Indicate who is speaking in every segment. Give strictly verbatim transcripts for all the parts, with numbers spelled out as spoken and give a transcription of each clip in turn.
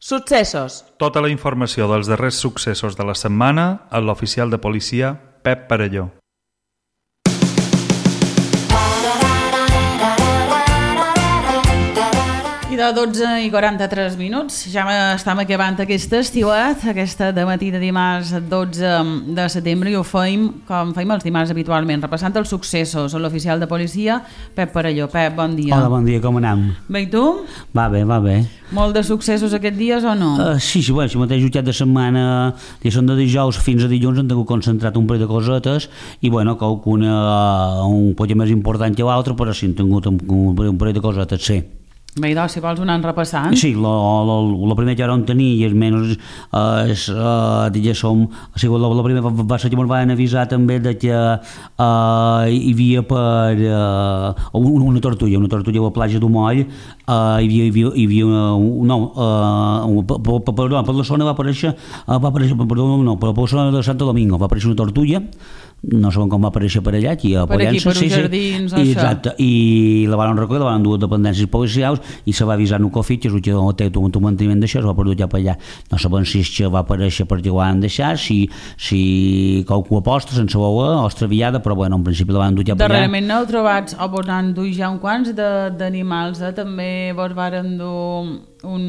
Speaker 1: Successos.
Speaker 2: Tota la informació dels darrers successos de la setmana a l'oficial de policia Pep Parelló.
Speaker 3: I de dotze i quaranta-tres minuts ja estem acabant aquesta estiuet, aquesta de matí de dimarts dotze de setembre, i ho feim com feim els dimarts habitualment, repassant els successos a l'oficial de policia Pep Parelló. Pep, bon dia.
Speaker 4: Hola, bon dia, com anem?
Speaker 3: Bé, i tu?
Speaker 4: Va bé, va bé.
Speaker 3: Molt de successos aquests dies o no?
Speaker 4: Uh, sí, sí, bueno, si mateix jutjat de setmana, que són de dijous fins a dilluns, han tingut concentrat un parell de cosetes i, bueno, qualcuna uh, un poc més important que l'altre, però sí, han tingut un, un parell de cosetes, sí.
Speaker 3: Bé, doncs, si vols anar repassant.
Speaker 4: Sí, el primer que vam tenir, i almenys és, uh, diguéssim, o sigui, la primera va ser que ens van avisar també de que uh, hi havia per uh, una, una tortuga, una tortuga a la platja d'Umoll, uh, hi havia, hi havia, hi havia uh, no, uh, per, per, per, per la zona va aparèixer, uh, va aparèixer perdó, no, per la zona de Santo Domingo va aparèixer una tortuga, no sabem com va aparèixer per allà, aquí a
Speaker 3: per aquí, per uns
Speaker 4: sí,
Speaker 3: jardins,
Speaker 4: sí, i, exacte, i la van recollir, la van dur a dependències policials i se va avisar en un cofit, que és el que té un manteniment d'això, es va portar ja per allà. No sabem si és que va aparèixer perquè ho van deixar, si, si qualcú aposta sense voler o extraviada, però bueno, en principi la van dur ja per allà.
Speaker 3: Darrerament no heu trobat, o vos n'han dut ja un quants d'animals, eh? També vos varen dur un,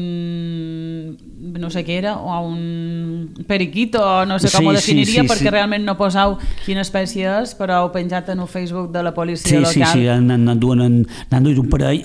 Speaker 3: no sé què era, o un periquito, o no sé com sí, ho definiria, sí, sí, perquè sí. Realment no posau quina espècie és, però heu penjat en el Facebook de la policia
Speaker 4: sí,
Speaker 3: local.
Speaker 4: Sí, sí, n'han duit un parell,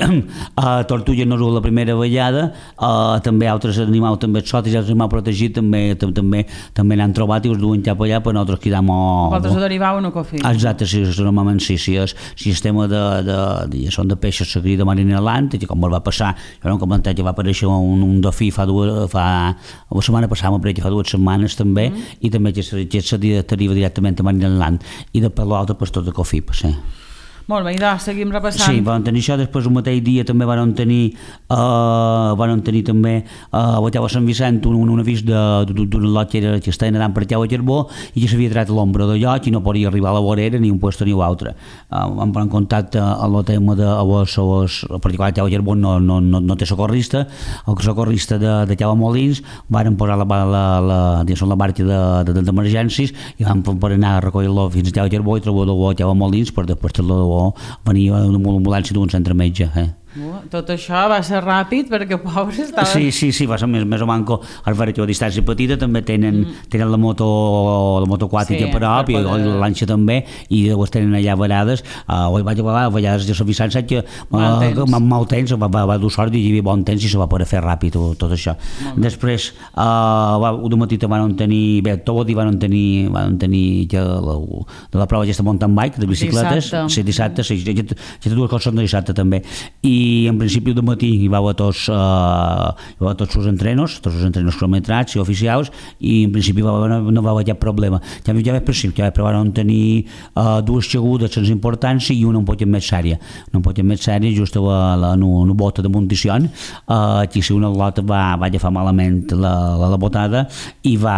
Speaker 4: a Tortuga no és la primera vegada, uh, també altres animals també exòtics, altres animals protegits també també també n'han trobat i us duen cap allà, però nosaltres quedam...
Speaker 3: Vosaltres ho derivau en un cofí.
Speaker 4: Exacte, sí, normalment sí, sí, és, si el tema de, de, de, són de peixos seguit de Marina Land, i com va passar, jo no hem comentat que va aparèixer un, un dofí fa dues, fa, la setmana passada, fa dues setmanes també, mm. i també que s'arriba directament a Marina Land, i de per l'altre pues, tot de cofí, sí.
Speaker 3: Molt bé, doncs, seguim repassant.
Speaker 4: Sí, van tenir això, després un mateix dia també van tenir, uh, van tenir també uh, a la Tau Sant Vicent un, un avís d'un lot que, era, que estava nedant per Tau a Carbó i que s'havia tret l'ombra de lloc i no podia arribar a la vorera ni un lloc ni l'altre. Uh, vam posar en contacte amb el tema de les, les, en particular Tau a Carbó no, no, no, no té socorrista, el socorrista de, de Tau a Molins van posar la, la, la, la, la barca d'emergències de, de, i vam per anar a recollir-lo fins a Tau a Carbó i trobar-lo a Tau a Molins per després fer-lo venia una ambulància d'un centre metge. Eh?
Speaker 3: Tot això va ser ràpid perquè pobres estaven...
Speaker 4: Sí, sí, sí, va ser més, més o manco el veure que a distància petita també tenen, mm. tenen la moto la moto aquàtica sí, a prop i poder... la lanxa també i llavors tenen allà varades uh, ho vaig a vegades de Sant Vicent saps que uh, mal temps va, va, va dur sort i hi havia bon temps i se va poder fer ràpid tot, tot això. Després uh, va, un matí van tenir bé, tot i van tenir, van tenir ja la, de la prova aquesta mountain bike de bicicletes,
Speaker 3: dissabte,
Speaker 4: sí, dissabte sí, aquestes dues coses són de dissabte també i i en principi de matí hi va a tots, uh, hi va a tots els entrenos, tots els entrenos cronometrats i oficials i en principi va, no, no va haver cap problema. Ja, ja vaig per si, ja van tenir uh, dues xagudes sense importància i una un poc més sèria. Una un poc més sèria just a la, la, una, una bota de munició, uh, que si una lota va, va agafar malament la, la, la botada i va,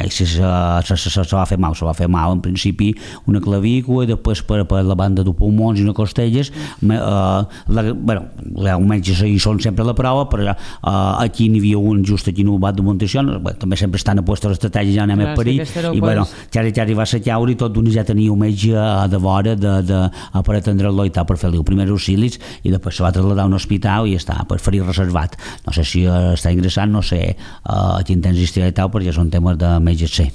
Speaker 4: se, se, se, se, se va fer mal, se va fer mal en principi una clavícula i després per, per la banda de pulmons i una costelles, uh, la, bueno, almenys hi són sempre a la prova, però uh, aquí n'hi havia un just aquí en el bat de Montessió, bueno, també sempre estan a puestos l'estratègia, ja anem a parir, i bueno, ja, ja arriba a caure i tot d'una ja tenia un metge de vora de, de, de, per atendre'l i tal, per fer-li els primers auxilis i després se va traslladar a un hospital i està per ferir reservat. No sé si uh, està ingressant, no sé uh, a quin temps estirà i tal, perquè són temes de metges, sí.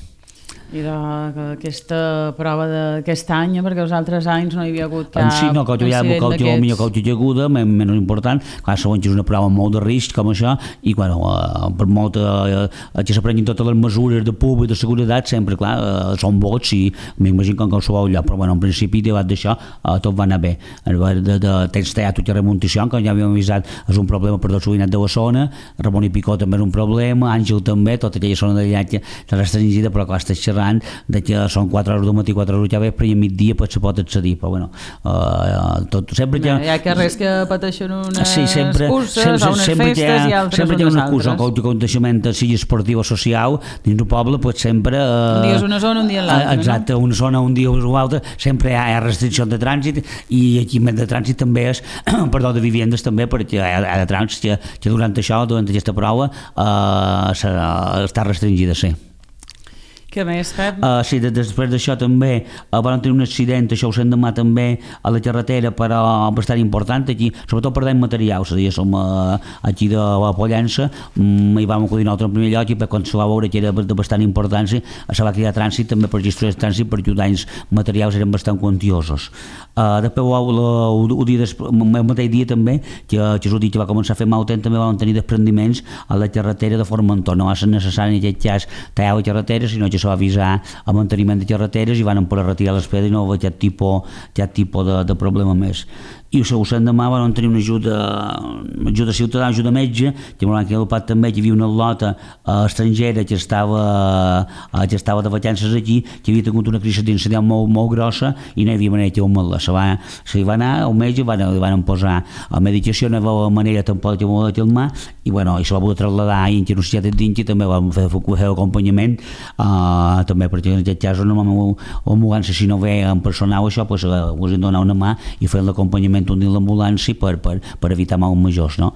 Speaker 3: I d'aquesta prova d'aquest any, perquè els altres anys no hi havia hagut cap
Speaker 4: sí, no,
Speaker 3: incident d'aquests.
Speaker 4: Sí, no, que hi ha aguda, menys important, clar, segons és una prova molt de risc com això, i bueno, uh, per molt uh, que s'aprenguin totes les mesures de públic, de seguretat, sempre, clar, uh, són vots i m'imagino que en qualsevol lloc, però bueno, en principi, davant d'això, uh, tot va anar bé. De, de, de, tens teat i remuntació, que ja havíem avisat, és un problema per tot l'Uinat de la zona, Ramon i Picó també és un problema, Àngel també, tota aquella zona d'allà que la restringida, però clar, està xerrant de que són quatre hores del matí, quatre hores ja vespre i a migdia pues, se pot accedir, però bueno, uh, tot, sempre que...
Speaker 3: No, hi ha carrers que pateixen unes
Speaker 4: sí, sempre,
Speaker 3: curses
Speaker 4: sempre,
Speaker 3: o unes
Speaker 4: sempre
Speaker 3: festes
Speaker 4: ha,
Speaker 3: i altres
Speaker 4: sempre hi ha
Speaker 3: unes
Speaker 4: una cursa,
Speaker 3: altres.
Speaker 4: un aconteixement sigui esportiu o social dins del poble, pues, sempre... Uh,
Speaker 3: un dia és una zona, un dia l'altra,
Speaker 4: exacte,
Speaker 3: no?
Speaker 4: una zona, un dia és una altra, sempre hi ha, hi ha restriccions de trànsit i aquí més de trànsit també és, perdó, de vivendes també, perquè hi ha, hi ha de trànsit que, que durant això, durant aquesta prova, uh, serà, està restringida, sí.
Speaker 3: Què més, Pep?
Speaker 4: Uh, sí, de, després d'això també uh, van tenir un accident, això ho sent demà també a la carretera, però bastant important aquí, sobretot perdem materials, és a dir, som uh, aquí de la Pollença, um, i vam acudir nosaltres en primer lloc i quan se va veure que era de bastant importància se va cridar trànsit també per gestionar el trànsit perquè els danys materials eren bastant quantiosos. Uh, després el dia des, el mateix dia també que, que és el dia que va començar a fer mal temps també vam tenir desprendiments a la carretera de Formentor, no va ser necessari en aquest cas tallar la carretera, sinó que va avisar el manteniment de carreteres i van poder retirar les pedres i no va aquest tipus, aquest tipus de, de problema més. I el següent demà van tenir una ajuda, ajuda ciutadana, ajuda metge, que m'han quedat també que hi havia una lota uh, estrangera que estava, uh, que estava de vacances aquí, que havia tingut una crisi d'incendent molt, molt grossa i no hi havia manera que ho mal·la. Se va, se va anar al metge, van, van posar a medicació, no hi havia manera tampoc que m'ho de calmar i, bueno, i se va poder trasladar a Inti, una societat d'Inti, també vam fer, fer l'acompanyament, uh, també perquè en aquest cas l'ambulància, si no ve en personal això, pues, uh, us hem donat una mà i fer l'acompanyament un dins l'ambulància per, per, per evitar mals majors, no?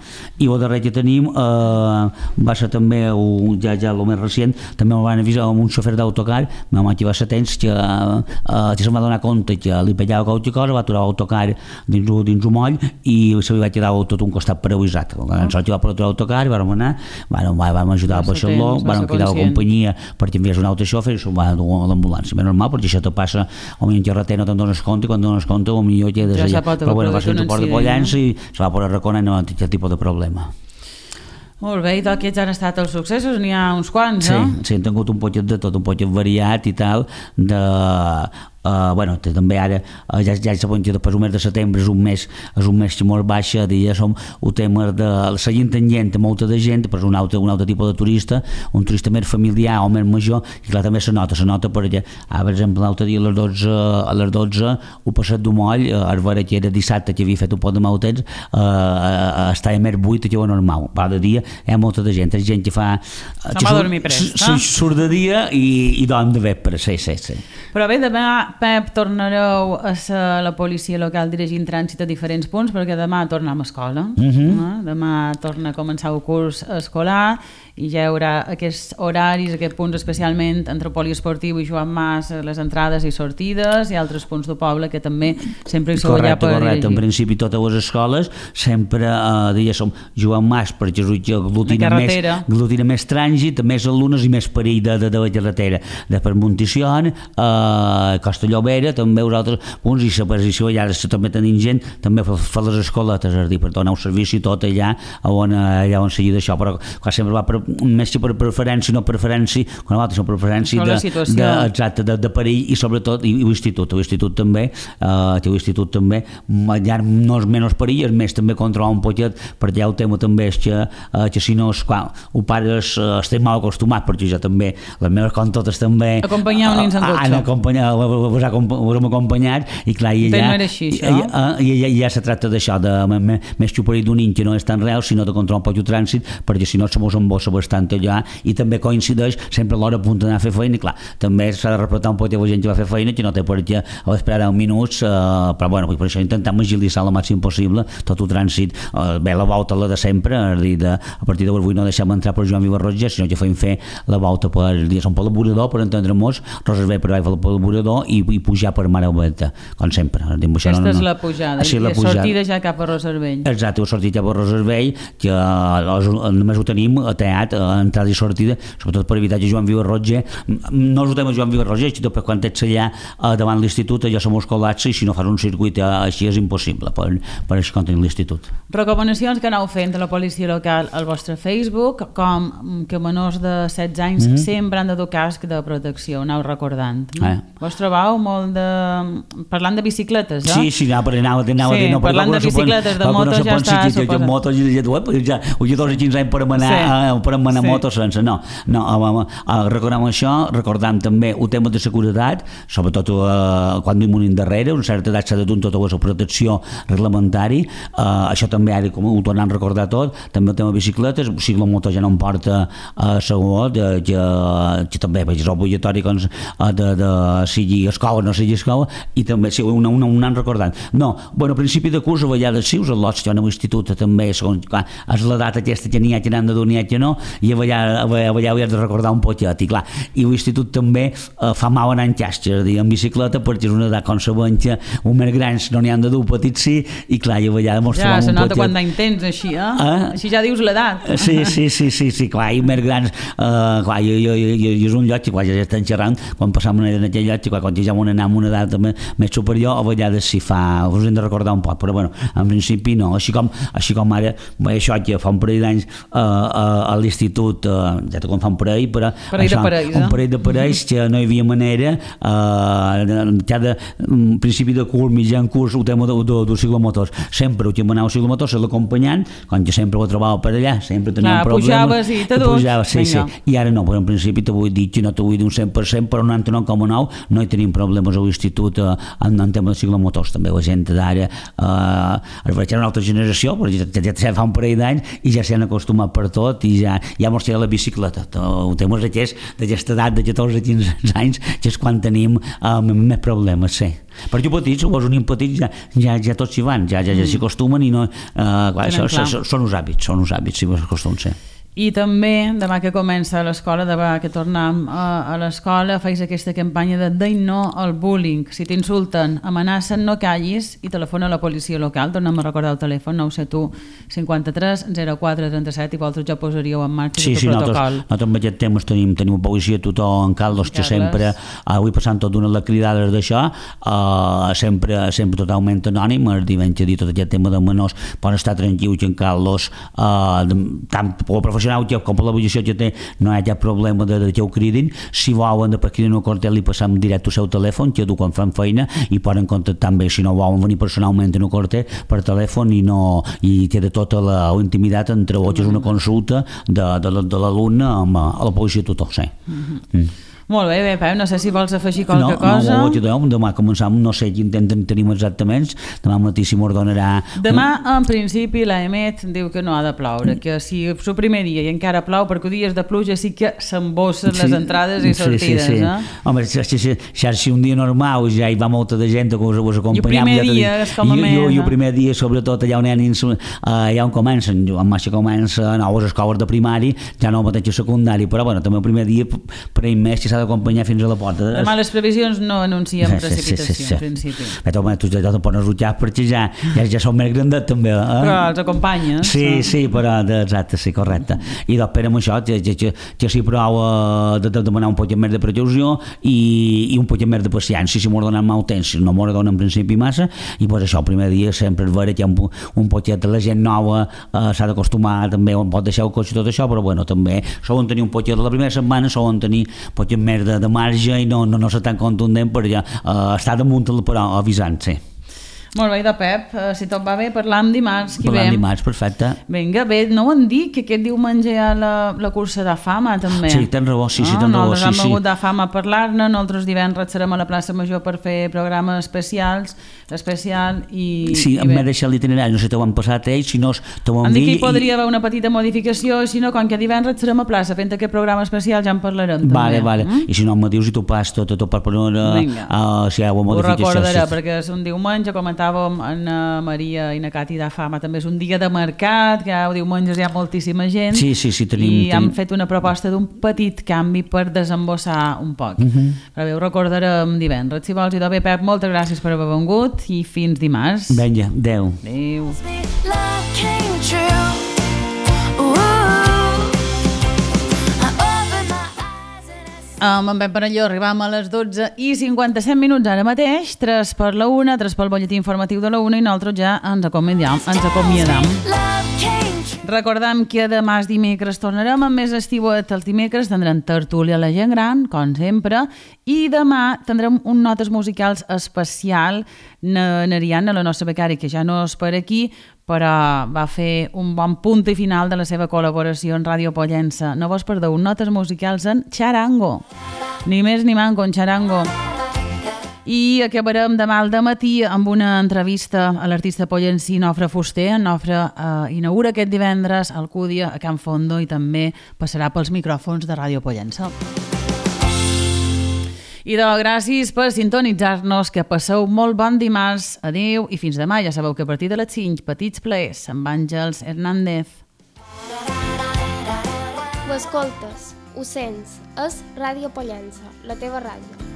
Speaker 4: I el darrer que tenim eh, va ser també un, ja, ja el més recent, també em van avisar amb un xofer d'autocar, vam activar ser temps que, eh, que se'm va donar compte que li pellava qualque cosa, va aturar l'autocar dins, dins un moll i se li va quedar tot un costat paralitzat. En sort que va per aturar l'autocar, vam anar, vam, vam ajudar a baixar-lo, vam cridar la companyia perquè enviés un altre xofer i se'l va dur a l'ambulància. Ben normal, perquè això te passa a un carreter, no te'n dones compte, quan dones compte potser quedes allà. Però bueno, va ser un suport de Pollença i se va poder reconar i no va tenir aquest tipus de problema.
Speaker 3: Molt bé, i d'aquests han estat els successos, n'hi ha uns quants, no?
Speaker 4: Sí, sí, hem tingut un poquet de tot, un poquet variat i tal, de... Uh, bueno, també ara uh, ja, ja sabem que després un mes de setembre és un mes, és un mes que molt baixa, ja som el tema de la gent tangent a molta de gent, però és un altre, un altre tipus de turista, un turista més familiar o més major, i clar, també se nota, se nota perquè, ah, per exemple, l'altre dia a les dotze, a les dotze ho passat d'un moll, uh, a veure que era dissabte que havia fet un poc de mal temps, uh, estava més buit que ho normal, però de dia hi ha molta de gent, hi ha gent que fa...
Speaker 3: Uh, que surt, dormir prest, no?
Speaker 4: Surt de dia i, i dorm de vespre, sí, sí, sí.
Speaker 3: Però bé, demà, Pep, tornareu a ser la policia local dirigint trànsit a diferents punts, perquè demà tornem a escola.
Speaker 4: Uh-huh.
Speaker 3: No? Demà torna a començar el curs escolar i ja hi haurà aquests horaris, aquests punts especialment entre poliesportiu i Joan Mas, les entrades i sortides, i altres punts del poble que també sempre hi sou allà per
Speaker 4: correcte.
Speaker 3: dirigir.
Speaker 4: En principi totes les escoles sempre eh, diguéssim, Joan Mas, perquè és el que aglutina més, aglutina més trànsit, més alumnes i més perill de, de, de la carretera. Després Monticion, eh, Costa Llobera, també els altres punts, i la posició allà també tenim gent, també fa, fa les escoletes, és a dir, per donar un servici tot allà on, allà on seguir d'això, però clar, sempre va per, més que per preferència, no preferència, quan l'altre és preferència de, de, exacte, de, de perill, i sobretot i, i l'institut, l'institut també, eh, que l'institut també, ja no és menys perill, és més també controlar un poquet, perquè el tema també és que, eh, que si no, quan ho pares, eh, estem mal acostumat, perquè jo també, les meves com totes també...
Speaker 3: Acompanyar un nens en cotxe.
Speaker 4: Han acompanyat, us hem acompanyat, i clar, i
Speaker 3: ja...
Speaker 4: ja,
Speaker 3: no era així, això?
Speaker 4: I, i, i ja se tracta d'això, de més que perill d'un nin que no és tan real, sinó de controlar un poc el trànsit, perquè si no se mos embossa bastant allà, i també coincideix sempre a l'hora a punt d'anar a fer feina, i clar, també s'ha de repretar un poc la gent que va fer feina, que no té per què esperar deu minuts, eh, però bueno, per això intentem agilitzar el màxim possible tot el trànsit, eh, bé, la volta la de sempre, és a dir, de, a partir d'avui no deixem entrar per Joan Vivarrotge, sinó que fem fer la volta per, diguéssim, per l'Aburador, per entendre-nos, Rosersvell per baix per l'Aburador i, i pujar per Mare Oberta, com sempre. Dir,
Speaker 3: Aquesta
Speaker 4: no, no,
Speaker 3: és la pujada,
Speaker 4: sí,
Speaker 3: i
Speaker 4: la
Speaker 3: la sortida ja cap a Rosersvell.
Speaker 4: Exacte, la sortida cap a Rosersvell, que eh, només ho tenim a teat, a entrada i sortida, sobretot per evitar que Joan Vivarrotge, no és el tema Joan Vivarrotge, sinó per quan ets allà eh, davant l'institut, allò som col·lapse, i si no fas un circuit eh, així és impossible per, per això quan tenim l'institut.
Speaker 3: Recomanacions que aneu fent a la policia local al vostre Facebook, com que menors de setze anys mm-hmm. sempre han de dur casc de protecció, aneu recordant. No? Eh. Vos trobeu Pau, molt de... parlant de bicicletes, eh?
Speaker 4: Sí, sí, anava, anava, anava
Speaker 3: sí,
Speaker 4: a dir, no,
Speaker 3: parlant de bicicletes, de motos no ja està
Speaker 4: suposat. Motos i de web, ja, ho ja dos o quinze anys per manar, sí. uh, per manar sí. motos sense, no. no uh, uh, recordem això, recordem també el tema de seguretat, sobretot uh, quan vivim un darrere, una certa edat s'ha de dur tota la protecció reglamentari, uh, això també ha de, com ho tornem a recordar tot, també el tema de bicicletes, o sigui, la moto ja no em porta a uh, segur, que, que també és obligatori doncs, de, de sigui escola o no sigui escola, i també sí, un, un, un any recordant. No, bueno, a principi de curs a vegades sí, us al·lots, jo en l'institut també, segons, clar, és l'edat aquesta que n'hi ha que n'han de dur, n'hi ha que no, i a vegades, a vegades ho has de recordar un poquet, i clar, i l'institut també eh, fa mal anar en xasxa, dir, en bicicleta, perquè és una edat com sabent que un més grans no n'hi han de dur, petits sí, i clar, i a vegades mos trobam un poquet.
Speaker 3: Ja, se nota quan d'any tens, així, eh? eh? Així ja dius l'edat.
Speaker 4: Sí, sí, sí, sí, sí, clar, i més grans, eh, clar, jo, jo, jo, jo, jo és un lloc, i clar, ja estan xerrant, quan passam una en aquell lloc, i clar, quan ja vam anar amb una edat més superior, a vegades s'hi fa, us hem de recordar un poc, però bueno, en principi no, així com, així com ara, bé, això que fa un parell d'anys uh, uh, a l'institut, uh, ja te com fa un parell, però
Speaker 3: parell
Speaker 4: això,
Speaker 3: de parells,
Speaker 4: un parell de parells que no hi havia manera, uh, cada um, principi de curs, mitjan curs, el tema del de, de, de ciclomotors, sempre que anava a ciclomotors, l'acompanyant, quan jo sempre ho trobava per allà, sempre teníem
Speaker 3: Clar,
Speaker 4: problemes.
Speaker 3: Pujaves i te dus.
Speaker 4: Pujaves, sí, sí, i ara no, però en principi te vull dir que no te vull dir un cent per cent, però noranta-nou coma nou no hi tenim problemes a l'institut eh, en, en tema de ciclomotors, també la gent d'ara eh, es veig una altra generació, però ja, ja, ja fa un parell d'anys i ja s'han acostumat per tot i ja, ja mos queda la bicicleta. El tema és aquest, d'aquesta edat de catorze a quinze anys, que és quan tenim eh, més problemes, sí. Per jo petits, o els nens petits ja, ja, ja tots s'hi van, ja, ja, ja s'hi acostumen i no, eh, clar, això, això, són uns hàbits, són uns hàbits, si vos acostumen, sí.
Speaker 3: I també, demà que comença l'escola, demà que tornem a, a l'escola, feis aquesta campanya de deim no al bullying. Si t'insulten, amenacen, no callis i telefona a la policia local. Tornem a recordar el telèfon nou set u cinquanta-tres zero quatre trenta-set i vosaltres ja posaríeu en marxa
Speaker 4: sí,
Speaker 3: tot el
Speaker 4: sí,
Speaker 3: protocol.
Speaker 4: Sí, nosaltres amb aquest tema tenim, tenim policia tothom en Carlos, que sempre, avui passant tot una de les cridades d'això, uh, sempre, sempre totalment anònim, es diuen que dir tot aquest tema de menors, poden estar tranquils que en Carlos, uh, tant per la professional com per la posició que té, no hi ha cap problema de, de que ho cridin. Si volen de per cridin un cartel i passam directe al seu telèfon, que du quan fan feina, i poden contactar amb ells, si no volen venir personalment en un cartel per telèfon i no i queda tota la, la intimitat entre ells, és una consulta de, de, de l'alumne amb a la policia tutor, sí. Mm-hmm. Mm.
Speaker 3: Molt bé, bé, Pep, no sé si vols afegir qualque
Speaker 4: no,
Speaker 3: cosa.
Speaker 4: No, no, demà començam, no sé quin temps tenim exactament, demà matí si m'ho donarà...
Speaker 3: Demà, en principi, l'A E M E T diu que no ha de ploure, que si és el primer dia i encara plou, perquè dies de pluja sí que s'embossen sí, les entrades i sortides, sí, sí, sí. Eh?
Speaker 4: Home, si, si, si, si un dia normal ja hi va molta de gent que us, us acompanyam...
Speaker 3: I el primer dia és com a més...
Speaker 4: I el primer dia, sobretot, allà on, nens, allà on comencen, en marxa comença a les escoles de primari, ja no el mateix secundari, però bueno, també el primer dia, per ell més, que s'ha d'acompanyar fins a la porta.
Speaker 3: Demà les previsions no anuncien sí, precipitació, sí, sí, sí, en principi.
Speaker 4: Però home, tu ja te pones rutjar perquè ja, ja, ja són més grandet també. Eh?
Speaker 3: Però els acompanyes.
Speaker 4: Sí, so. sí, però exacte, sí, correcte. I després amb això, que, que, que s'hi prou de, de demanar un poc més de precaució i, i un poc més de paciència, si m'ho donen mal temps, si no m'ho donen en principi massa, i pues això, el primer dia sempre és vera que hi ha un, un poquet de la gent nova, eh, s'ha d'acostumar també, on pot deixar el cotxe i tot això, però bueno, també solen tenir un poquet de la primera setmana, solen tenir un poquet més de, de marge i no, no, no ser tan contundent per ja uh, estar damunt però avisant, sí.
Speaker 3: Molt bé, de Pep, si tot va bé, parlam dimarts, qui
Speaker 4: parlam
Speaker 3: ve?
Speaker 4: dimarts, perfecte.
Speaker 3: Vinga, bé, no ho han dit, que aquest diumenge hi ha la, la cursa de fama, també.
Speaker 4: Sí, tens raó, sí, sí, tens raó.
Speaker 3: Nosaltres
Speaker 4: sí,
Speaker 3: hem hagut
Speaker 4: sí.
Speaker 3: de fama a parlar-ne, nosaltres divendres serem a la plaça Major per fer programes especials, especial i...
Speaker 4: Sí,
Speaker 3: i
Speaker 4: em va deixar l'itinerari, no sé si t'ho han passat ells, si no t'ho han dit...
Speaker 3: Em dic que hi podria i... haver una petita modificació, si no, com que divendres serem a plaça fent aquest programa especial ja en parlarem, també.
Speaker 4: Vale, vale,
Speaker 3: mm?
Speaker 4: i si no em dius i t'ho pas tot, tot per poder... Uh, si hi ha una modificació...
Speaker 3: Ho recordaré, sí. Perquè és un diumenge, comentàvem en Maria i na Cati de Fama, també és un dia de mercat, que el diumenge hi ha moltíssima gent,
Speaker 4: sí, sí, sí, tenim,
Speaker 3: i
Speaker 4: tenim...
Speaker 3: hem fet una proposta d'un petit canvi per desembossar un poc. Uh-huh. Però bé, ho recordarem divendres. Si vols, i de bé, Pep, moltes gràcies per haver vengut i fins dimarts.
Speaker 4: Vinga, adeu.
Speaker 3: Adeu. Amb en Pep Parelló arribam a les dotze i cinquanta-set minuts ara mateix, tres per la una, tres pel butlletí informatiu de la una i nosaltres ja ens acomiadam. Ens acomiadam. Recordem que demà és dimecres tornarem amb més estiuet. Els dimecres tindrem tertúlia a la gent gran, com sempre, i demà tindrem un notes musicals especial. N'Ariadna, la nostra becària, que ja no és per aquí, però va fer un bon punt i final de la seva col·laboració en Ràdio Pollença. No vos perdeu notes musicals en xarango. Ni més ni manco, en xarango. I acabarem demà al dematí amb una entrevista a l'artista pollencí Nofre Fuster. En Nofre eh, inaugura aquest divendres a Alcúdia, a Can Fondo, i també passarà pels micròfons de Ràdio Pollença. I de gràcies per sintonitzar-nos, que passeu molt bon dimarts. Adéu i fins demà. Ja sabeu que a partir de les cinc, petits plaers amb Àngels Hernández.
Speaker 1: Ho escoltes, ho sents, és Ràdio Pollença, la teva ràdio.